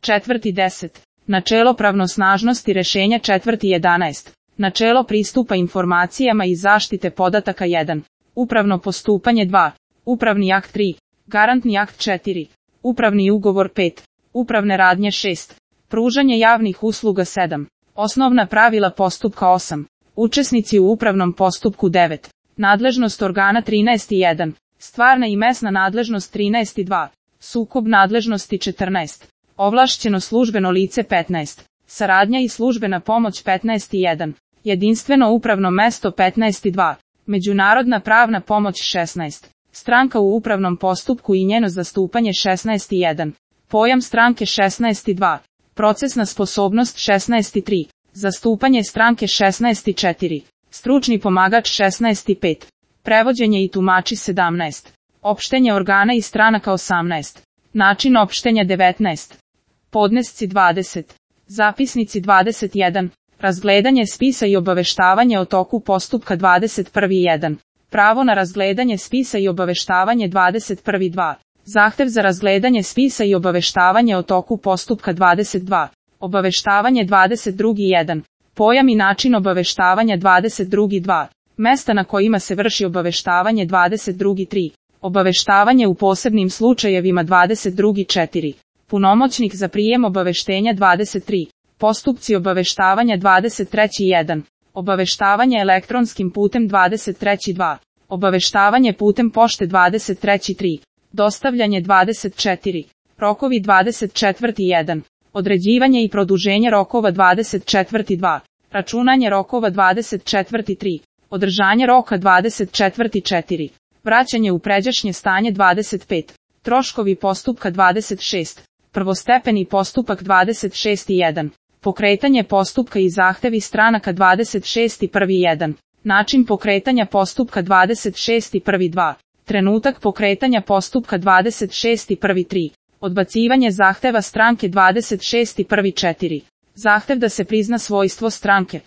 4.10. Načelo pravnosnažnosti rešenja 4.11. Načelo pristupa informacijama i zaštite podataka 1. Upravno postupanje 2. Upravni akt 3. Garantni akt 4. Upravni ugovor 5. Upravne radnje 6. Pružanje javnih usluga 7. Osnovna pravila postupka 8. Učesnici u upravnom postupku 9. Nadležnost organa 13.1. Stvarna i mesna nadležnost 13.2. Sukob nadležnosti 14. Ovlašćeno službeno lice 15. Saradnja i službena pomoć 15.1. Jedinstveno upravno mesto 15.2. Međunarodna pravna pomoć 16. Stranka u upravnom postupku i njeno zastupanje 16.1. Pojam stranke 16.2. Procesna sposobnost 16.3. Zastupanje stranke 16.4. Stručni pomagač 16.5. Prevođenje i tumači 17. Opštenje organa i stranaka 18. Način opštenja 19. Podnesci 20. Zapisnici 21. Razgledanje spisa i obaveštavanje o toku postupka 21.1. Pravo na razgledanje spisa i obaveštavanje 21.2. Zahtev za razgledanje spisa i obaveštavanje o toku postupka 22. Obaveštavanje 22.1. Pojam i način obaveštavanja 22.2. Mesta na kojima se vrši obaveštavanje 22.3. Obaveštavanje u posebnim slučajevima 22.4. Punomoćnik za prijem obaveštenja 23. Postupci obaveštavanja 23.1. Obaveštavanje elektronskim putem 23.2. Obaveštavanje putem pošte 23.3. Dostavljanje 24. Rokovi 24.1. Određivanje i produženje rokova 24.2. Računanje rokova 24.3. Održanje roka 24.4. Vraćanje u pređašnje stanje 25. Troškovi postupka 26. Prvostepeni postupak 26.1. Pokretanje postupka i zahtevi stranaka 26.1.1. Način pokretanja postupka 26.1.2. Trenutak pokretanja postupka 26.1.3. Odbacivanje zahteva stranke 26.1.4. Zahtev da se prizna svojstvo stranke.